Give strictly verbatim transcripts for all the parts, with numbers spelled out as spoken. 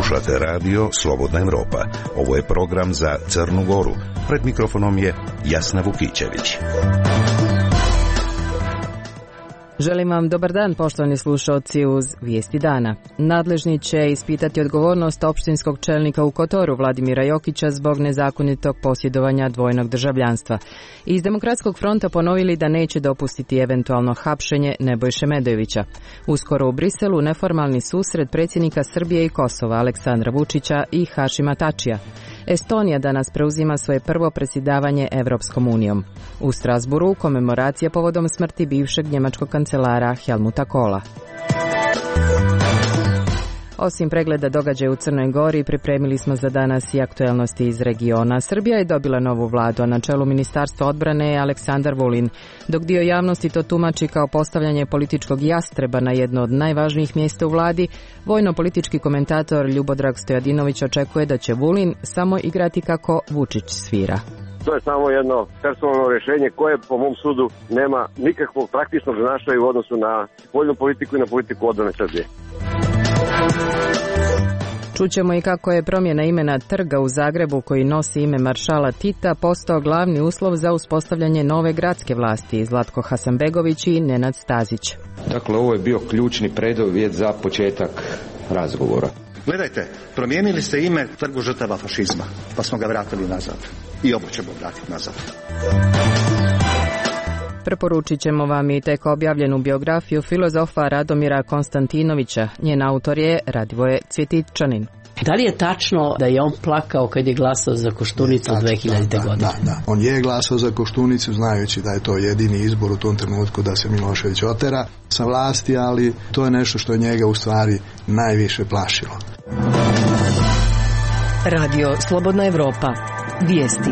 Slušate radio Slobodna Evropa. Ovo je program za Crnu Goru. Pred mikrofonom je Jasna Vukićević. Želim vam dobar dan, poštovani slušalci, uz Vijesti dana. Nadležni će ispitati odgovornost opštinskog čelnika u Kotoru Vladimira Jokića zbog nezakonitog posjedovanja dvojnog državljanstva. Iz Demokratskog fronta ponovili da neće dopustiti eventualno hapšenje Nebojše Medojevića. Uskoro u Briselu neformalni susret predsjednika Srbije i Kosova Aleksandra Vučića i Hašima Tačija. Estonija danas preuzima svoje prvo predsjedavanje Evropskom unijom. U Strasburu komemoracija povodom smrti bivšeg njemačkog kancelara Helmuta Kohla. Osim pregleda događaja u Crnoj Gori, pripremili smo za danas i aktuelnosti iz regiona. Srbija je dobila novu vladu, a na čelu Ministarstva odbrane je Aleksandar Vulin. Dok dio javnosti to tumači kao postavljanje političkog jastreba na jedno od najvažnijih mjesta u vladi, vojno-politički komentator Ljubodrag Stojadinović očekuje da će Vulin samo igrati kako Vučić svira. To je samo jedno personalno rješenje koje po mom sudu nema nikakvog praktičnog značaja u odnosu na spoljnu politiku i na politiku odbrane Srbije. Čućemo i kako je promjena imena trga u Zagrebu koji nosi ime maršala Tita postao glavni uslov za uspostavljanje nove gradske vlasti. Zlatko Hasanbegović i Nenad Stazić. Dakle, ovo je bio ključni preduvjet za početak razgovora. Gledajte, promijenili ste ime Trgu žrtava fašizma, pa smo ga vratili nazad. I ovo ćemo vratiti nazad. Preporučit ćemo vam i tek objavljenu biografiju filozofa Radomira Konstantinovića. Njen autor je Radivoje Cvjetičanin. Da li je tačno da je on plakao kad je glasao za Koštunicu dve hiljadite. godine? Da, da. On je glasao za Koštunicu znajući da je to jedini izbor u tom trenutku da se Milošević otera sa vlasti, ali to je nešto što je njega u stvari najviše plašilo. Radio Slobodna Evropa. Vijesti.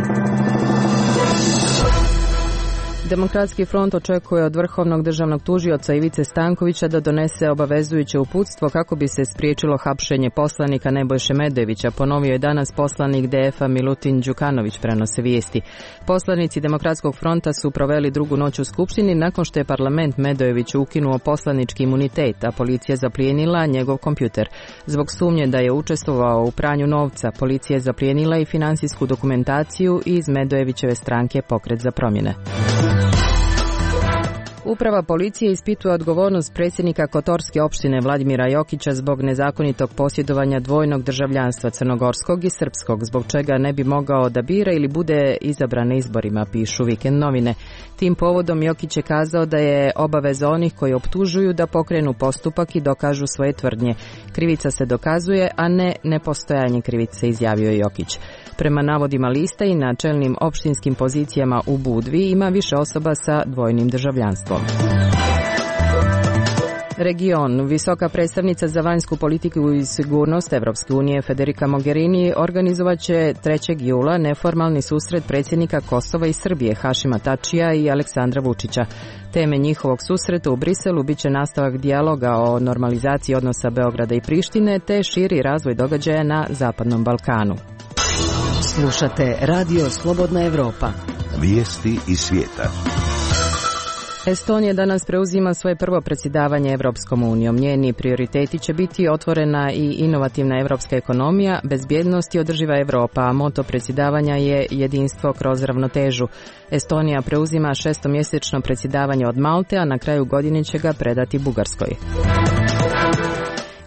Demokratski front očekuje od vrhovnog državnog tužioca Ivice Stankovića da donese obavezujuće uputstvo kako bi se spriječilo hapšenje poslanika Nebojše Medojevića, ponovio je danas poslanik D F-a Milutin Đukanović, prenose vijesti. Poslanici Demokratskog fronta su proveli drugu noć u Skupštini nakon što je parlament Medojeviću ukinuo poslanički imunitet, a policija zaplijenila njegov kompjuter. Zbog sumnje da je učestvovao u pranju novca, policija je zaplijenila i financijsku dokumentaciju iz Medojevićeve stranke Pokret za promjene. Uprava policije ispituje odgovornost predsjednika Kotorske opštine Vladimira Jokića zbog nezakonitog posjedovanja dvojnog državljanstva crnogorskog i srpskog, zbog čega ne bi mogao da bira ili bude izabran na izborima, pišu Vikend novine. Tim povodom Jokić je kazao da je obaveza onih koji optužuju da pokrenu postupak i dokažu svoje tvrdnje. Krivica se dokazuje, a ne nepostojanje krivice, izjavio je Jokić. Prema navodima lista i na čelnim opštinskim pozicijama u Budvi ima više osoba sa dvojnim državljanstvom. Region. Visoka predstavnica za vanjsku politiku i sigurnost Evropske unije Federica Mogherini organizovat će trećeg jula neformalni susret predsjednika Kosova i Srbije Hašima Tačija i Aleksandra Vučića. Teme njihovog susreta u Briselu biće nastavak dijaloga o normalizaciji odnosa Beograda i Prištine te širi razvoj događaja na Zapadnom Balkanu. Slušate Radio Slobodna Evropa. Vijesti iz svijeta. Estonija danas preuzima svoje prvo predsjedavanje Evropskom unijom. Njeni prioriteti će biti otvorena i inovativna evropska ekonomija, bezbjednost i održiva Evropa, a moto predsjedavanja je jedinstvo kroz ravnotežu. Estonija preuzima šestomjesečno predsjedavanje od Malte, a na kraju godine će ga predati Bugarskoj.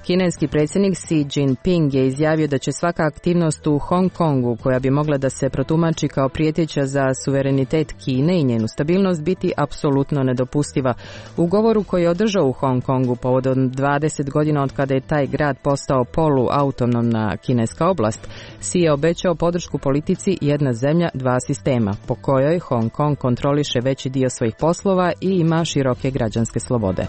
Kineski predsjednik Xi Jinping je izjavio da će svaka aktivnost u Hong Kongu koja bi mogla da se protumači kao prijeteća za suverenitet Kine i njenu stabilnost biti apsolutno nedopustiva. U govoru koji je održao u Hong Kongu povodom dvadeset godina od kada je taj grad postao poluautonomna kineska oblast, Xi je obećao podršku politici jedna zemlja, dva sistema, po kojoj Hong Kong kontroliše veći dio svojih poslova i ima široke građanske slobode.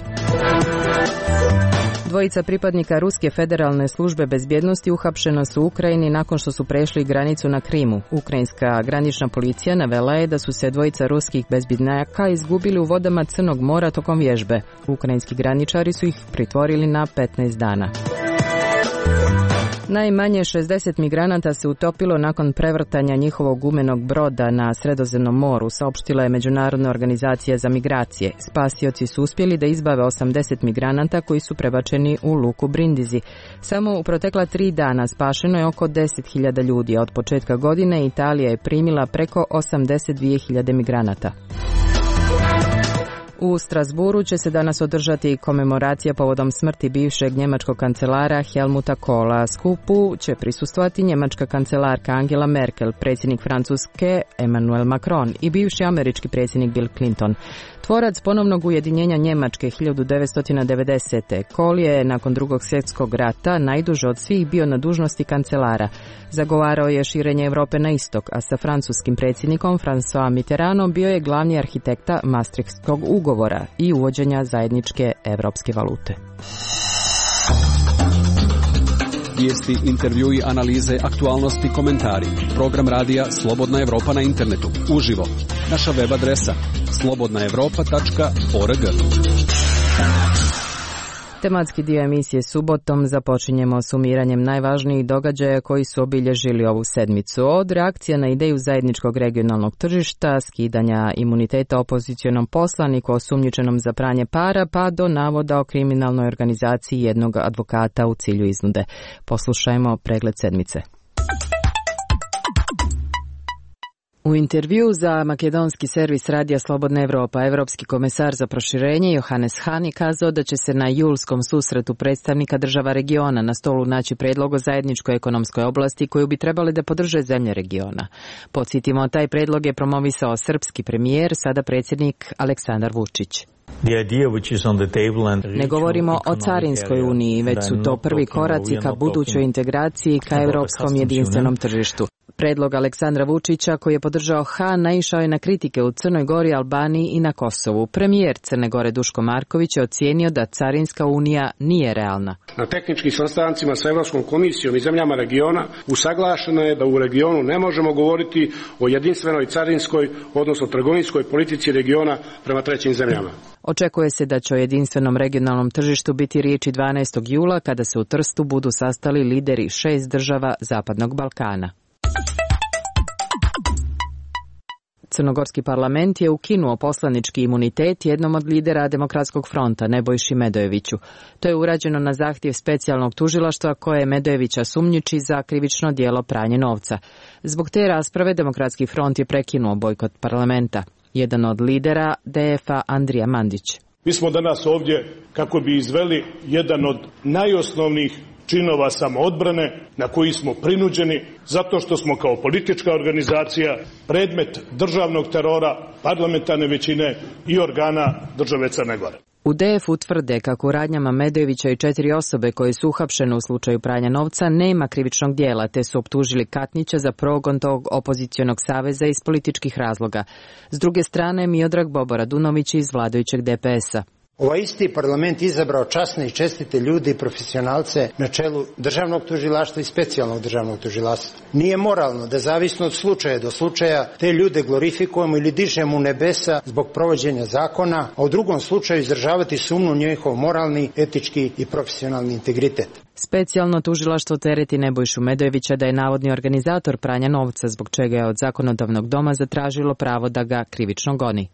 Dvojica pripadnika Ruske federalne službe bezbjednosti uhapšena su u Ukrajini nakon što su prešli granicu na Krimu. Ukrajinska granična policija navela je da su se dvojica ruskih bezbjednjaka izgubili u vodama Crnog mora tokom vježbe. Ukrajinski graničari su ih pritvorili na petnaest dana. Najmanje šezdeset migranata se utopilo nakon prevrtanja njihovog gumenog broda na Sredozemnom moru, saopštila je Međunarodna organizacija za migracije. Spasioci su uspjeli da izbave osamdeset migranata koji su prebačeni u luku Brindisi. Samo u protekla tri dana spašeno je oko deset hiljada ljudi, a od početka godine Italija je primila preko osamdeset dvije hiljade migranata. U Strasburu će se danas održati komemoracija povodom smrti bivšeg njemačkog kancelara Helmuta Kohla. Skupu će prisustvovati njemačka kancelarka Angela Merkel, predsjednik Francuske Emmanuel Macron i bivši američki predsjednik Bill Clinton. Tvorac ponovnog ujedinjenja Njemačke hiljadu devetsto devedesete. Kohl je nakon drugog svjetskog rata najduže od svih bio na dužnosti kancelara. Zagovarao je širenje Europe na istok, a sa francuskim predsjednikom François Mitterrandom bio je glavni arhitekta Maastrichtskog ugovora i uvođenja zajedničke europske valute. Vijesti, intervjui, analize, aktualnosti, komentari. Program radija Slobodna Evropa na internetu. Uživo. Naša web adresa slobodna evropa tačka org. Tematski dio emisije subotom započinjemo sumiranjem najvažnijih događaja koji su obilježili ovu sedmicu. Od reakcija na ideju zajedničkog regionalnog tržišta, skidanja imuniteta opozicionom poslaniku osumnjičenom za pranje para, pa do navoda o kriminalnoj organizaciji jednog advokata u cilju iznude. Poslušajmo pregled sedmice. U intervju za makedonski servis Radija Slobodna Evropa, evropski komesar za proširenje Johannes Hahn je kazao da će se na julskom susretu predstavnika država regiona na stolu naći predlog o zajedničkoj ekonomskoj oblasti koju bi trebali da podrže zemlje regiona. Podsjetimo, taj predlog je promovisao srpski premijer, sada predsjednik Aleksandar Vučić. Ne govorimo o carinskoj uniji, već su to prvi koraci ka budućoj integraciji ka europskom jedinstvenom tržištu. Predlog Aleksandra Vučića, koji je podržao Hahn, naišao je na kritike u Crnoj Gori, Albaniji i na Kosovu. Premijer Crne Gore Duško Marković je ocijenio da carinska unija nije realna. Na tehničkim sastancima sa Evropskom komisijom i zemljama regiona usaglašeno je da u regionu ne možemo govoriti o jedinstvenoj carinskoj, odnosno trgovinskoj politici regiona prema trećim zemljama. Očekuje se da će o jedinstvenom regionalnom tržištu biti riječi dvanaestog jula kada se u Trstu budu sastali lideri šest država Zapadnog Balkana. Crnogorski parlament je ukinuo poslanički imunitet jednom od lidera Demokratskog fronta, Nebojši Medojeviću. To je urađeno na zahtjev specijalnog tužilaštva koje Medojevića sumnjiči za krivično djelo pranje novca. Zbog te rasprave Demokratski front je prekinuo bojkot parlamenta. Jedan od lidera D F A Andrija Mandić. Mi smo danas ovdje kako bi izveli jedan od najosnovnijih činova samoodbrane na koji smo prinuđeni zato što smo kao politička organizacija predmet državnog terora, parlamentarne većine i organa države Crne Gore. U D F U tvrde kako u radnjama Medojevića i četiri osobe koje su uhapšene u slučaju pranja novca nema krivičnog djela, te su optužili Katnića za progon tog opozicionog saveza iz političkih razloga. S druge strane, Miodrag Bobo Radunović iz vladajućeg D P S-a. Ovaj isti parlament izabrao časne i čestite ljudi i profesionalce na čelu državnog tužilaštva i specijalnog državnog tužilaštva. Nije moralno da zavisno od slučaja do slučaja te ljude glorifikujemo ili dižemo u nebesa zbog provođenja zakona, a u drugom slučaju izražavati sumnju u njihov moralni, etički i profesionalni integritet. Specijalno tužilaštvo tereti Nebojšu Medojevića da je navodni organizator pranja novca, zbog čega je od zakonodavnog doma zatražilo pravo da ga krivično goni.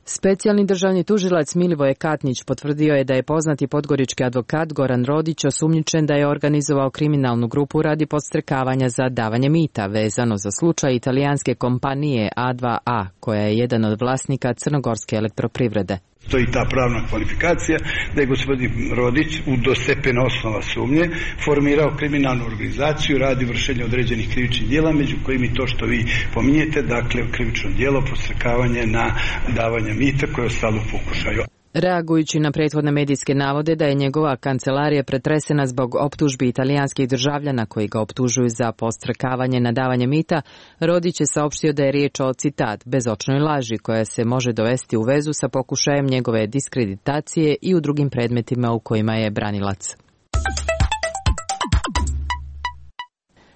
Specijalni državni tužilac Milivoje Katnić potvrdio je da je poznati podgorički advokat Goran Rodić osumnjičen da je organizovao kriminalnu grupu radi podstrekavanja za davanje mita vezano za slučaj italijanske kompanije A dva A, koja je jedan od vlasnika crnogorske elektroprivrede. Stoji ta pravna kvalifikacija da je gospodin Rodić u dostepena osnova sumnje formirao kriminalnu organizaciju radi vršenja određenih krivičnih djela, među kojim i to što vi pominjete, dakle krivično djelo podstrekavanje na davanje mita koje je ostalo u pokušaju. Reagujući na prethodne medijske navode da je njegova kancelarija pretresena zbog optužbi italijanskih državljana koji ga optužuju za podstrekavanje na davanje mita, Rodić je saopštio da je riječ o, citat, bezočnoj laži koja se može dovesti u vezu sa pokušajem njegove diskreditacije i u drugim predmetima u kojima je branilac.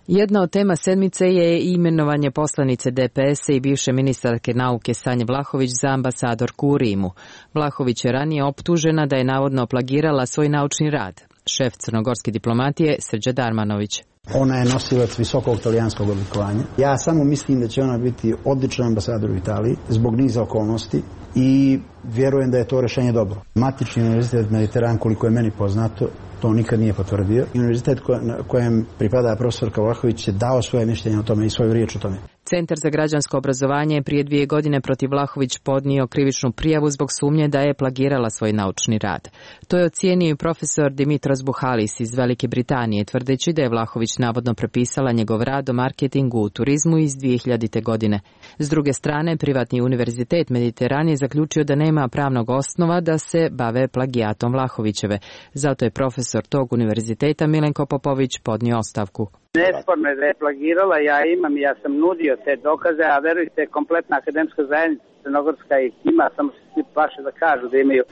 Jedna od tema sedmice je imenovanje poslanice D P S-a i bivše ministarke nauke Sanje Vlahović za ambasadorku u Rimu. Vlahović je ranije optužena da je navodno plagirala svoj naučni rad. Šef crnogorske diplomatije Srđa Darmanović. Ona je nosilac visokog talijanskog odlikovanja. Ja samo mislim da će ona biti odličan ambasador u Italiji zbog niza okolnosti i vjerujem da je to rješenje dobro. Matični univerzitet Mediteran, koliko je meni poznato, to nikad nije potvrdio. Univerzitet kojem pripada profesorka Vlahović je dao svoje mišljenje o tome i svoju riječ o tome. Centar za građansko obrazovanje je prije dvije godine protiv Vlahović podnio krivičnu prijavu zbog sumnje da je plagirala svoj naučni rad. To je ocijenio i profesor Dimitros Buhalis iz Velike Britanije, tvrdeći da je Vlahović navodno prepisala njegov rad o marketingu u turizmu iz dvije hiljadite. godine. S druge strane, privatni univerzitet Mediteran je zaključio da nema pravnog osnova da se bave plagijatom Vlahovićeve. Zato je profesor tog univerziteta Milenko Popović podnio ostavku. Nesporno je da je plagirala, ja imam, ja sam nudio te dokaze, a verujte, kompletna akademska zajednica crnogorska ih ima, samo se svi plaše da kažu da imaju.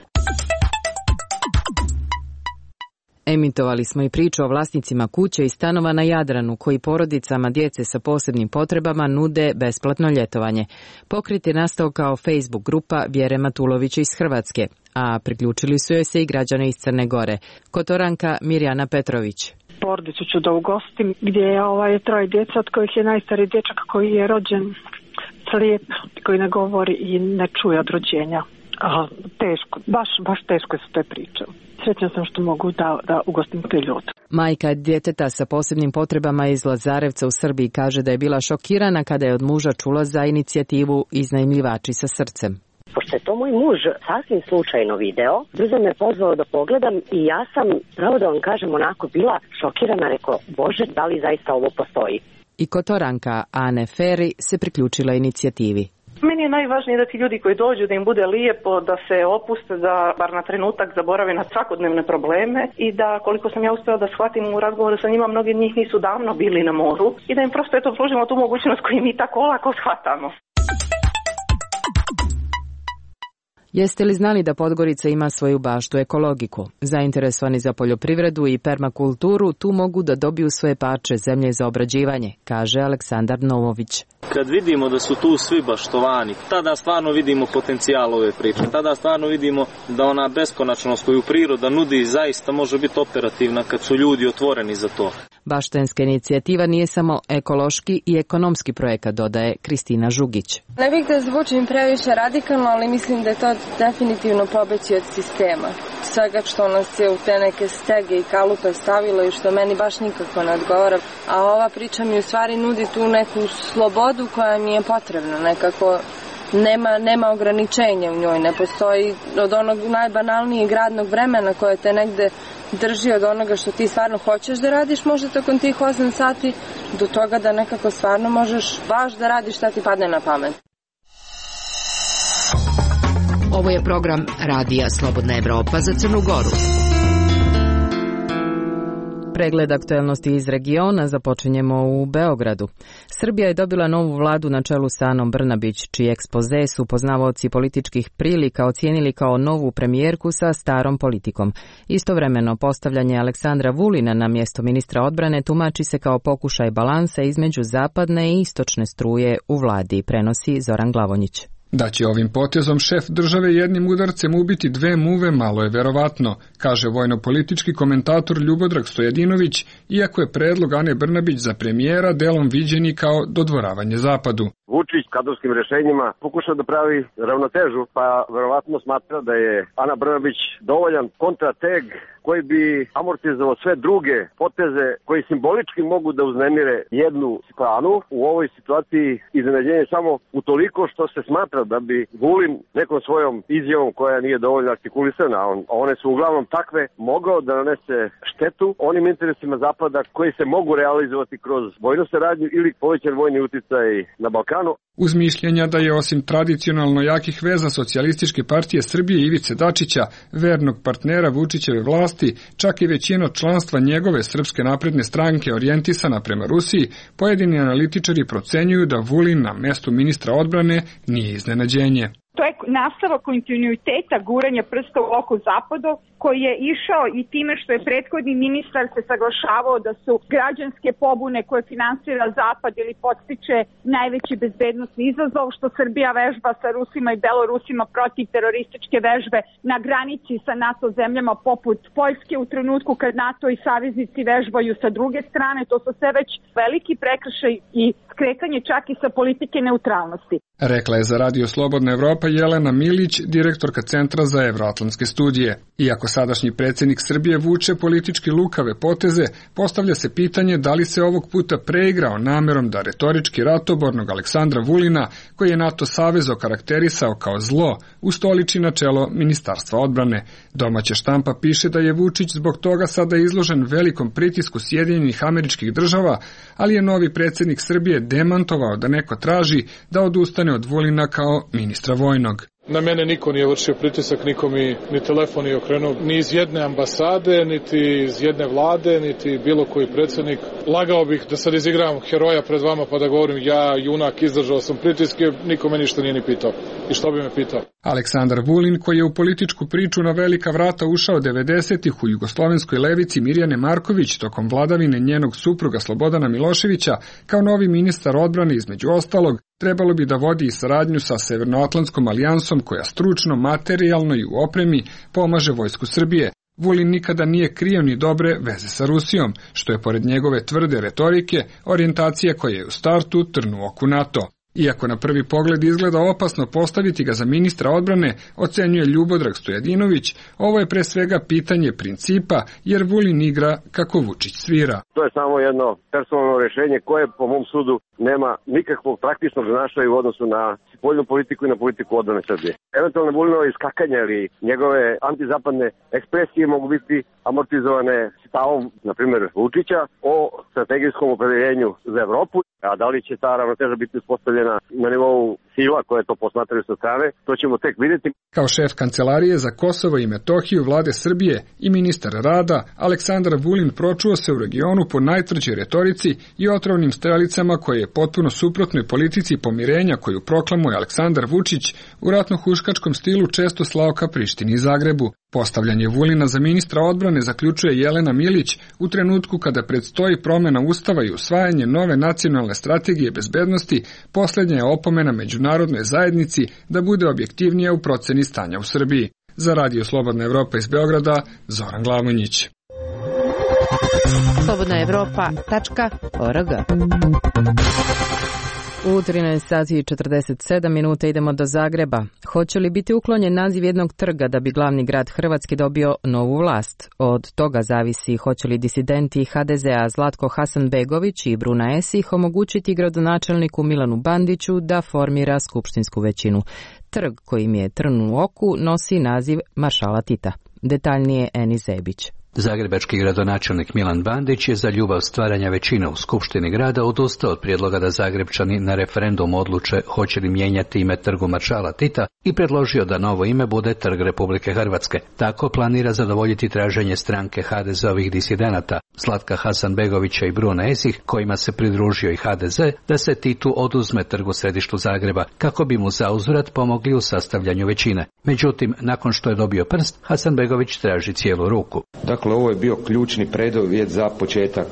Emitovali smo i priču o vlasnicima kuće i stanova na Jadranu koji porodicama djece sa posebnim potrebama nude besplatno ljetovanje. Pokret je nastao kao Facebook grupa Vjere Matulovića iz Hrvatske, a priključili su joj se i građani iz Crne Gore. Kotoranka Mirjana Petrović. Porodicu ću da ugostim gdje je ovaj troje djeca, od kojih je najstariji dječak koji je rođen slijep, koji ne govori i ne čuje od rođenja. A, teško, baš, baš teško su te priče. Srećna sam što mogu da, da ugostim te ljude. Majka djeteta sa posebnim potrebama iz Lazarevca u Srbiji kaže da je bila šokirana kada je od muža čula za inicijativu Iznajmljivači sa srcem. Pošto je to moj muž sasvim slučajno video, brzo me pozvao da pogledam i ja sam, pravo da vam kažem, onako bila šokirana, rekao, Bože, da li zaista ovo postoji? I Kotoranka Ane Feri se priključila inicijativi. Meni je najvažnije da ti ljudi koji dođu, da im bude lijepo, da se opuste, da bar na trenutak zaborave na svakodnevne probleme i da, koliko sam ja uspjela da shvatim u razgovoru sa njima, mnogi od njih nisu davno bili na moru i da im prosto eto pružimo tu mogućnost koju mi tako lako shvatamo. Jeste li znali da Podgorica ima svoju baštu ekologiku? Zainteresovani za poljoprivredu i permakulturu tu mogu da dobiju svoje parče zemlje za obrađivanje, kaže Aleksandar Novović. Kad vidimo da su tu svi baštovani, tada stvarno vidimo potencijal ove priče. Tada stvarno vidimo da ona beskonačnost koju priroda nudi zaista može biti operativna kad su ljudi otvoreni za to. Baštenska inicijativa nije samo ekološki i ekonomski projekat, dodaje Kristina Žugić. Ne bih da zvučim previše radikalno, ali mislim da je to definitivno pobeći od sistema. Svega što nas je u te neke stege i kalupe stavilo i što meni baš nikako ne odgovara. A ova priča mi u stvari nudi tu neku slobodu koja mi je potrebna, nekako nema, nema ograničenja u njoj, ne postoji od onog najbanalnijeg radnog vremena koje te negde drži od onoga što ti stvarno hoćeš da radiš možda tokom tih osam sati do toga da nekako stvarno možeš baš da radiš šta ti padne na pamet. Ovo je program Radija Slobodna Evropa za Crnu Goru. Pregled aktuelnosti iz regiona započinjemo u Beogradu. Srbija je dobila novu vladu na čelu sa Anom Brnabić, čiji ekspoze su poznavaoci političkih prilika ocijenili kao novu premijerku sa starom politikom. Istovremeno, postavljanje Aleksandra Vulina na mjesto ministra odbrane tumači se kao pokušaj balansa između zapadne i istočne struje u vladi, prenosi Zoran Glavonjić. Da će ovim potezom šef države jednim udarcem ubiti dve muve malo je verovatno, kaže vojno-politički komentator Ljubodrag Stojadinović, iako je predlog Ane Brnabić za premijera delom viđeni kao dodvoravanje zapadu. Vučić kadrovskim rješenjima pokušao da pravi ravnotežu, pa verovatno smatra da je Ana Brnabić dovoljan kontrateg koji bi amortizovao sve druge poteze koji simbolički mogu da uznemire jednu stranu. U ovoj situaciji iznenađenje samo utoliko što se smatra da bi Vulin nekom svojom izjavom koja nije dovoljno artikulisana, a on, one su uglavnom takve, mogao da nanese štetu onim interesima Zapada koji se mogu realizovati kroz vojnu saradnju ili povećan vojni uticaj na Balkanu. Uz mišljenja da je osim tradicionalno jakih veza Socijalističke partije Srbije Ivice Dačića, vernog partnera Vučićeve vlasti, čak i većina članstva njegove Srpske napredne stranke orijentisana prema Rusiji, pojedini analitičari procenjuju da Vulin na mestu ministra odbrane nije iznenađenje. To je nastavak kontinuiteta guranja prsta u oko zapadu koji je išao i time što je prethodni ministar se saglašavao da su građanske pobune koje finansira zapad ili podstiče najveći bezbednosni izazov, što Srbija vežba sa Rusima i Belorusima protiv terorističke vežbe na granici sa NATO zemljama poput Poljske u trenutku kad NATO i saveznici vežbaju sa druge strane. To su sve već veliki prekršaj i skretanje čak i sa politike neutralnosti. Rekla je za Radio Slobodna Evropa Jelena Milić, direktorka Centra za evroatlantske studije. Iako sadašnji predsjednik Srbije vuče politički lukave poteze, postavlja se pitanje da li se ovog puta preigrao namerom da retorički ratobornog Aleksandra Vulina, koji je NATO savez okarakterisao kao zlo, ustoliči na čelo Ministarstva odbrane. Domaća štampa piše da je Vučić zbog toga sada izložen velikom pritisku Sjedinjenih Američkih Država, ali je novi predsjednik Srbije demantovao da neko traži da odustane od Vulina kao ministra vojnog. Na mene niko nije vršio pritisak, niko mi ni telefon nije okrenuo, ni iz jedne ambasade, niti iz jedne vlade, niti bilo koji predsjednik. Lagao bih da sad izigram heroja pred vama pa da govorim ja, junak, izdržao sam pritiske, niko me ništa nije ni pitao. I što bi me pitao? Aleksandar Vulin, koji je u političku priču na velika vrata ušao devedesetih u jugoslovenskoj levici Mirjane Marković tokom vladavine njenog supruga Slobodana Miloševića, kao novi ministar odbrane između ostalog, trebalo bi da vodi i saradnju sa Severnoatlantskom alijansom koja stručno, materijalno i u opremi pomaže vojsku Srbije. Vulin nikada nije krio ni dobre veze sa Rusijom, što je pored njegove tvrde retorike orijentacija koja je u startu trn u oku NATO. Iako na prvi pogled izgleda opasno postaviti ga za ministra odbrane, ocenjuje Ljubodrag Stojadinović, ovo je pre svega pitanje principa, jer Vulin igra kako Vučić svira. To je samo jedno personalno rješenje koje po mom sudu nema nikakvog praktičnog značaja u odnosu na spoljnu politiku i na politiku odbrane Srbije. Eventualno Vulinove iskakanja ili njegove antizapadne ekspresije mogu biti amortizovane stavom, na primjer, Vučića o strategijskom opredeljenju za Evropu, a da li će ta ravnoteža biti uspostavljena na nivou sila koje to posmatraju sa strane, to ćemo tek vidjeti. Kao šef Kancelarije za Kosovo i Metohiju vlade Srbije i ministar rada, Aleksandar Vulin pročuo se u regionu po najtvrđoj retorici i otrovnim strelicama koje je potpuno suprotnoj politici pomirenja koju proklamuje Aleksandar Vučić u ratno-huškačkom stilu često slao ka Prištini i Zagrebu. Postavljanje Vulina za ministra odbrane zaključuje Jelena Milić u trenutku kada predstoji promjena ustava i usvajanje nove nacionalne strategije bezbednosti, posljednja je opomena međunarodnoj zajednici da bude objektivnija u proceni stanja u Srbiji. Za Radio Slobodna Evropa iz Beograda, Zoran Glamonjić. slobodna evropa tačka org. U trinaest sati i četrdeset sedam minuta idemo do Zagreba. Hoće li biti uklonjen naziv jednog trga da bi glavni grad Hrvatske dobio novu vlast? Od toga zavisi hoće li disidenti ha de zea Zlatko Hasanbegović i Bruna Esih omogućiti gradonačelniku Milanu Bandiću da formira skupštinsku većinu. Trg kojim je trn u oku nosi naziv Maršala Tita. Detaljnije Eni Zebić. Zagrebački gradonačelnik Milan Bandić je za ljubav stvaranja većine u Skupštini grada odustao od prijedloga da Zagrebčani na referendum odluče hoće li mijenjati ime trgu Maršala Tita i predložio da novo ime bude Trg Republike Hrvatske. Tako planira zadovoljiti traženje stranke ha de zeovih disidenata Zlatka Hasanbegovića i Brune Esih, kojima se pridružio i ha de ze, da se Titu oduzme trg u središtu Zagreba, kako bi mu zauzvrat pomogli u sastavljanju većine. Međutim, nakon što je dobio prst, Hasanbegović traži cijelu ruku. Dakle, ovo je bio ključni preduvjet za početak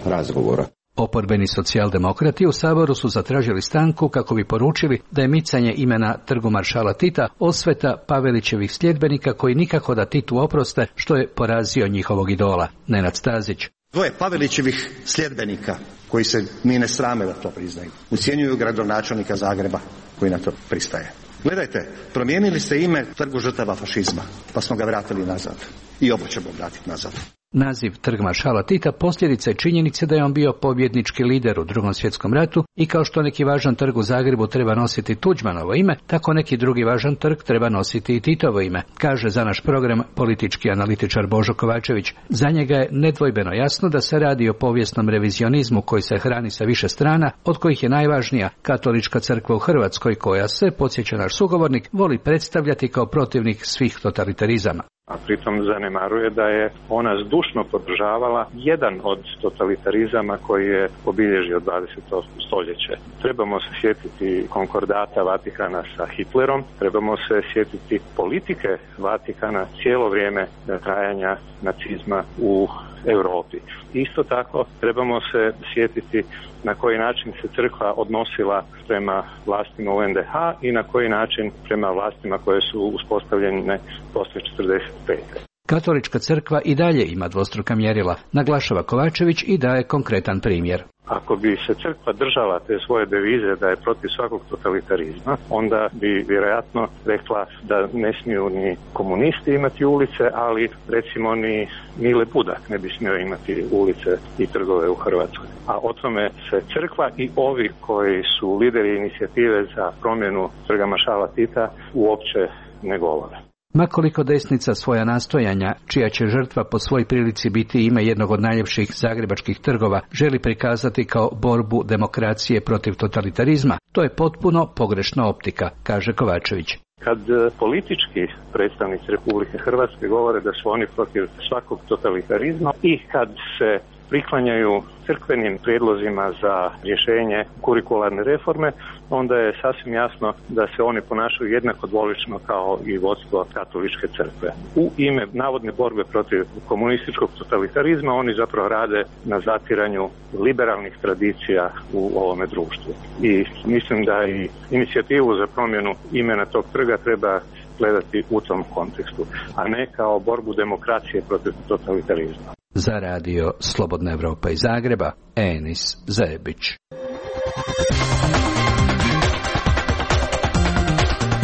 razgovora. Oporbeni socijaldemokrati u Saboru su zatražili stanku kako bi poručili da je micanje imena trgu Maršala Tita osveta Pavelićevih sljedbenika koji nikako da Titu oproste što je porazio njihovog idola. Nenad Stazić. Dvoje Pavelićevih sljedbenika koji se ni ne srame da to priznaju ucjenjuju gradonačelnika Zagreba koji na to pristaje. Gledajte, promijenili ste ime trgu žrtava fašizma, pa smo ga vratili nazad. I ovo ćemo vratiti nazad. Naziv Trg Maršala Tita posljedica je činjenice da je on bio pobjednički lider u Drugom svjetskom ratu i kao što neki važan trg u Zagrebu treba nositi Tuđmanovo ime, tako neki drugi važan trg treba nositi i Titovo ime, kaže za naš program politički analitičar Božo Kovačević. Za njega je nedvojbeno jasno da se radi o povijesnom revizionizmu koji se hrani sa više strana, od kojih je najvažnija Katolička crkva u Hrvatskoj koja se, podsjeća naš sugovornik, voli predstavljati kao protivnik svih totalitarizama. A pritom zanemaruje da je ona zdušno podržavala jedan od totalitarizama koji je obilježio dvadeseto stoljeće. Trebamo se sjetiti konkordata Vatikana sa Hitlerom, trebamo se sjetiti politike Vatikana cijelo vrijeme trajanja nacizma u Europi. Isto tako trebamo se sjetiti na koji način se crkva odnosila prema vlastima u en de ha i na koji način prema vlastima koje su uspostavljene poslije četrdeset pete. Katolička crkva i dalje ima dvostruka mjerila, naglašava Kovačević i daje konkretan primjer. Ako bi se crkva držala te svoje devize da je protiv svakog totalitarizma, onda bi vjerojatno rekla da ne smiju ni komunisti imati ulice, ali recimo ni Mile Budak ne bi smio imati ulice i trgove u Hrvatskoj. A o tome se crkva i ovi koji su lideri inicijative za promjenu Trga maršala Tita uopće ne govore. Makoliko desnica svoja nastojanja, čija će žrtva po svoj prilici biti ime jednog od najljepših zagrebačkih trgova, želi prikazati kao borbu demokracije protiv totalitarizma, to je potpuno pogrešna optika, kaže Kovačević. Kad politički predstavnici Republike Hrvatske govore da su oni protiv svakog totalitarizma i kad se priklanjaju crkvenim prijedlozima za rješenje kurikularne reforme, onda je sasvim jasno da se oni ponašaju jednako dvolično kao i vodstvo katoličke crkve. U ime navodne borbe protiv komunističkog totalitarizma oni zapravo rade na zatiranju liberalnih tradicija u ovome društvu. I mislim da i inicijativu za promjenu imena tog trga treba gledati u tom kontekstu, a ne kao borbu demokracije protiv totalitarizma. Za radio Slobodna Evropa iz Zagreba, Enis Zebić.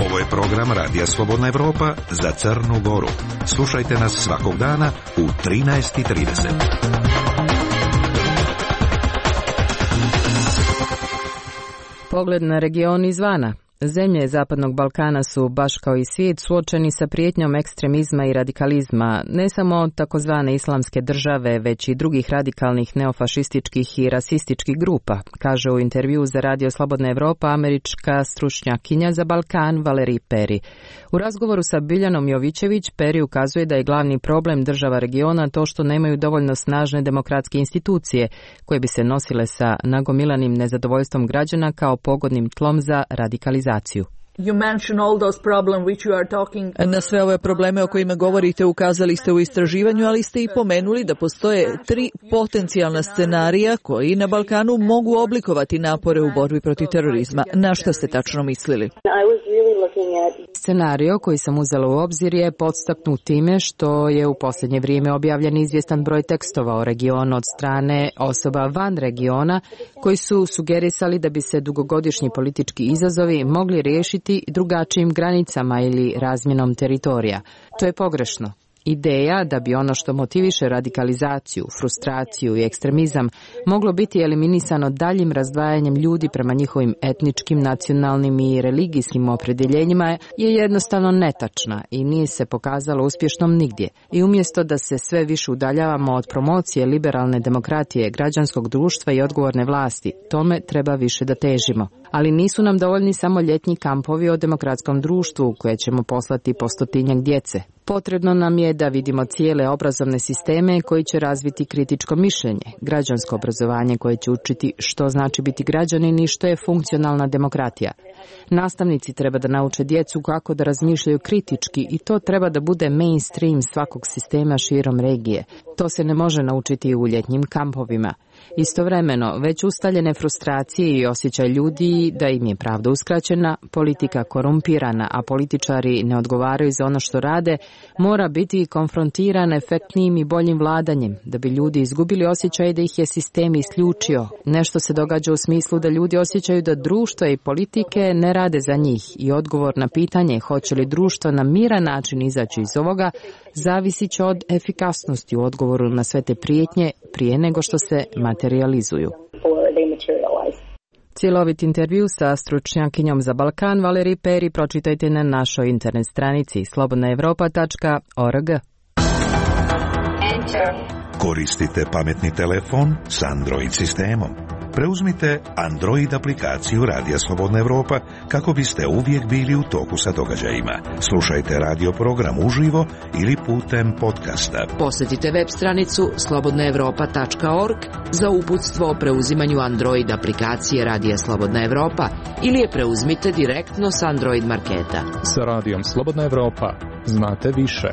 Ovo je program Radija Slobodna Evropa za Crnu Goru. Slušajte nas svakog dana u trinaest i trideset. Pogled na region izvana. Zemlje Zapadnog Balkana su, baš kao i svijet, suočeni sa prijetnjom ekstremizma i radikalizma, ne samo od takozvane islamske države, već i drugih radikalnih neofašističkih i rasističkih grupa, kaže u intervju za Radio Slobodna Evropa američka stručnjakinja za Balkan Valerij Peri. U razgovoru sa Biljanom Jovićević, Peri ukazuje da je glavni problem država regiona to što nemaju dovoljno snažne demokratske institucije koje bi se nosile sa nagomilanim nezadovoljstvom građana kao pogodnim tlom za radikalizaciju. Na sve ove probleme o kojima govorite ukazali ste u istraživanju, ali ste i pomenuli da postoje tri potencijalna scenarija koji na Balkanu mogu oblikovati napore u borbi protiv terorizma. Na šta ste tačno mislili? Scenario koji sam uzela u obzir je podstaknut time što je u posljednje vrijeme objavljen izvjestan broj tekstova o regionu od strane osoba van regiona koji su sugerisali da bi se dugogodišnji politički izazovi mogli riješiti drugačijim granicama ili razmjenom teritorija. To je pogrešno. Ideja da bi ono što motiviše radikalizaciju, frustraciju i ekstremizam moglo biti eliminisano daljim razdvajanjem ljudi prema njihovim etničkim, nacionalnim i religijskim opredjeljenjima je jednostavno netačna i nije se pokazalo uspješnom nigdje. I umjesto da se sve više udaljavamo od promocije liberalne demokratije, građanskog društva i odgovorne vlasti, tome treba više da težimo. Ali nisu nam dovoljni samo ljetni kampovi o demokratskom društvu koje ćemo poslati po stotinjak djece. Potrebno nam je da vidimo cijele obrazovne sisteme koji će razviti kritičko mišljenje, građansko obrazovanje koje će učiti što znači biti građanin i što je funkcionalna demokratija. Nastavnici treba da nauče djecu kako da razmišljaju kritički i to treba da bude mainstream svakog sistema širom regije. To se ne može naučiti u ljetnjim kampovima. Istovremeno, već ustaljene frustracije i osjećaj ljudi da im je pravda uskraćena, politika korumpirana, a političari ne odgovaraju za ono što rade, mora biti konfrontiran efektnijim i boljim vladanjem, da bi ljudi izgubili osjećaj da ih je sistem isključio. Nešto se događa u smislu da ljudi osjećaju da društvo i politike ne rade za njih i odgovor na pitanje hoće li društvo na miran način izaći iz ovoga zavisit će od efikasnosti u odgovoru na sve te prijetnje prije nego što se materializuju. Cjelovit intervju sa stručnjakinjom za Balkan Valerij Peri pročitajte na našoj internet stranici slobodna evropa tačka org. Koristite pametni telefon s Android sistemom. Preuzmite Android aplikaciju Radija Slobodna Evropa kako biste uvijek bili u toku sa događajima. Slušajte radio program uživo ili putem podcasta. Posjetite web stranicu slobodna evropa tačka org za uputstvo o preuzimanju Android aplikacije Radija Slobodna Evropa ili je preuzmite direktno s Android marketa. Sa Radijom Slobodna Evropa znate više.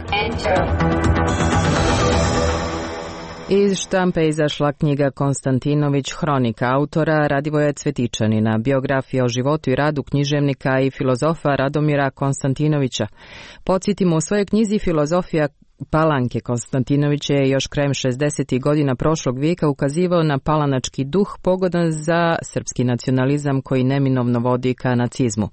Iz štampe izašla knjiga Konstantinović, hronika autora Radivoja Cvetičanina, biografija o životu i radu književnika i filozofa Radomira Konstantinovića. Podsjetimo, u svojoj knjizi Filozofija Palanke Konstantinović je još krajem šezdesetih godina prošlog vijeka ukazivao na palanački duh pogodan za srpski nacionalizam koji neminovno vodi ka nacizmu.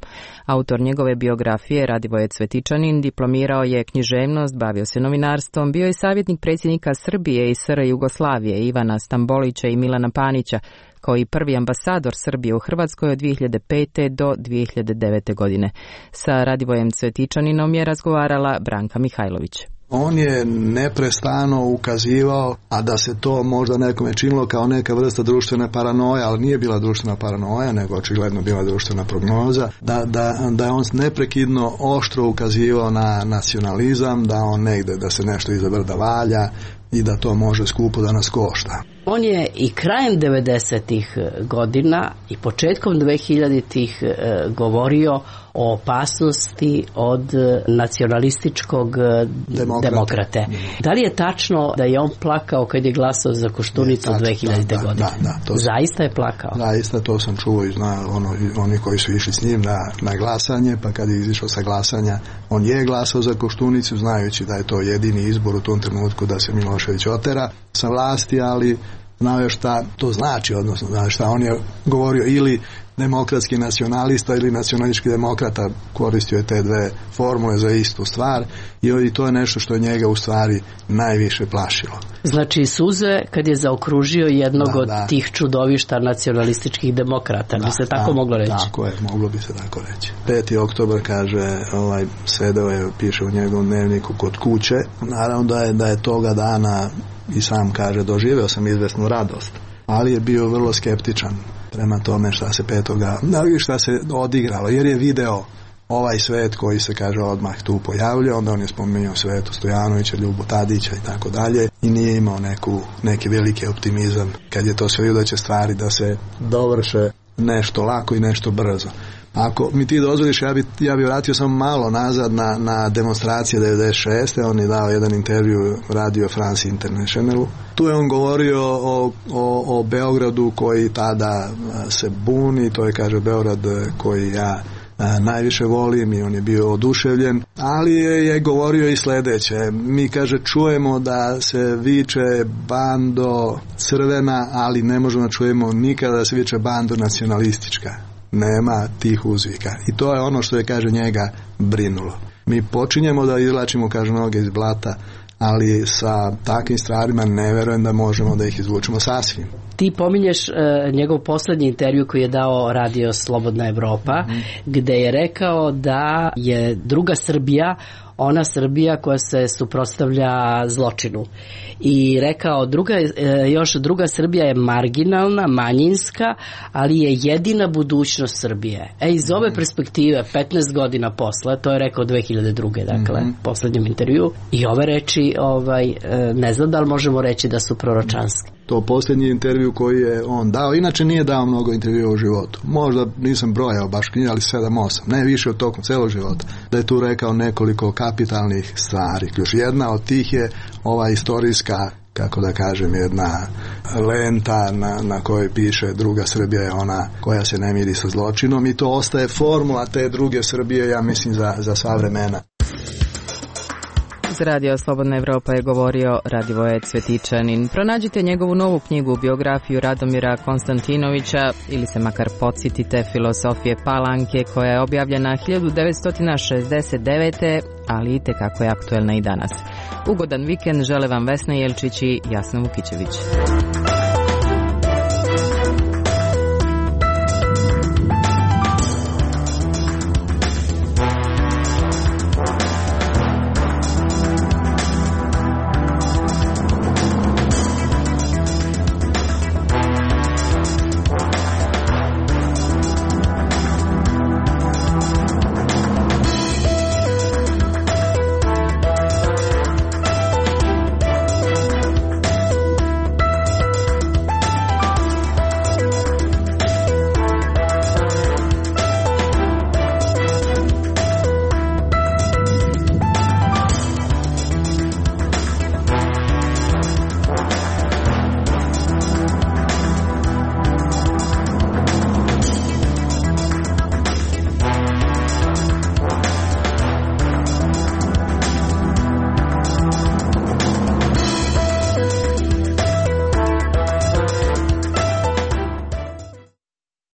Autor njegove biografije Radivoje Cvetičanin diplomirao je književnost, bavio se novinarstvom, bio je savjetnik predsjednika Srbije i S R Jugoslavije Ivana Stambolića i Milana Panića, kao i prvi ambasador Srbije u Hrvatskoj od dvije hiljade pete do dvije hiljade devete godine. Sa Radivojem Cvetičaninom je razgovarala Branka Mihajlović. On je neprestano ukazivao, a da se to možda nekome činilo kao neka vrsta društvene paranoje, ali nije bila društvena paranoja, nego očigledno bila društvena prognoza, da, da, da je on neprekidno oštro ukazivao na nacionalizam, da on negde, da se nešto iza brda valja i da to može skupo da nas košta. On je i krajem devedesetih godina i početkom dvehiljaditih govorio o opasnosti od nacionalističkog demokrate. demokrate. Da li je tačno da je on plakao kad je glasao za Koštunicu dve hiljadite. Da, godine? Da, da, to Zaista je plakao? Zaista, to sam čuo i zna ono, oni koji su išli s njim na, na glasanje, pa kad je izišao sa glasanja, on je glasao za Koštunicu, znajući da je to jedini izbor u tom trenutku da se Milošević otera sa vlasti, ali znao je šta to znači, odnosno znao šta on je govorio, ili demokratski nacionalista ili nacionalistički demokrata, koristio je te dve formule za istu stvar i to je nešto što je njega u stvari najviše plašilo. Znači suze kad je zaokružio jednog da, od da. tih čudovišta nacionalističkih demokrata, da, bi se tako da, moglo reći? Tako je, moglo bi se tako reći. peti oktobar, kaže, ovaj, sedeo je, piše u njegovom dnevniku, kod kuće. Naravno da je, da je toga dana, i sam kaže, doživeo sam izvesnu radost, ali je bio vrlo skeptičan prema tome šta se petoga, šta se odigralo, jer je video ovaj svet koji se, kaže, odmah tu pojavljao, onda on je spominjao Svetu Stojanovića, Ljubu Tadića i tako dalje, i nije imao neku, neki veliki optimizam kad je to sve vidio da će stvari da se dovrše nešto lako i nešto brzo. Ako mi ti dozvoliš, ja bi, ja bi vratio samo malo nazad na, na demonstracije devedeset šeste. On je dao jedan intervju Radio France Internationalu. Tu je on govorio o, o, o Beogradu koji tada se buni, to je, kaže, Beograd koji ja a, najviše volim, i on je bio oduševljen, ali je, je govorio i sledeće. Mi, kaže, čujemo da se viče bando crvena, ali ne možemo da čujemo nikada da se viče bando nacionalistička. Nema tih uzvika. I to je ono što je, kaže, njega brinulo. Mi počinjemo da izvlačimo, kaže, noge iz blata, ali sa takvim stvarima ne verujem da možemo da ih izvučemo sasvim. Ti pominješ uh, njegov poslednji intervju koji je dao Radio Slobodna Evropa, mm-hmm. gde je rekao da je druga Srbija ona Srbija koja se suprotstavlja zločinu. I rekao, druga, još druga Srbija je marginalna, manjinska, ali je jedina budućnost Srbije. E, iz ove perspektive, petnaest godina posle, to je rekao dve hiljade druge. dakle, mm-hmm. poslednjem intervju, i ove reči, ovaj, ne znam da li možemo reći da su proročanske. To posljednji intervju koji je on dao, inače nije dao mnogo intervjua u životu. Možda nisam brojao baš knjige, ali sedam osam, ne više od tokom celog života. Da je tu rekao nekoliko kapitalnih stvari. Ključ jedna od tih je ova istorijska, kako da kažem, jedna lenta na, na kojoj piše druga Srbija je ona koja se ne miri sa zločinom, i to ostaje formula te druge Srbije, ja mislim, za, za sva vremena. Za Radio Slobodna Evropa je govorio Radivoje Cvetičanin. Pronađite njegovu novu knjigu, biografiju Radomira Konstantinovića, ili se makar podsjetite Filozofije Palanke, koja je objavljena hiljadu devetsto šezdeset devete. ali i tekako je aktuelna i danas. Ugodan vikend žele vam Vesna Jelčić i Jasna Vukićević.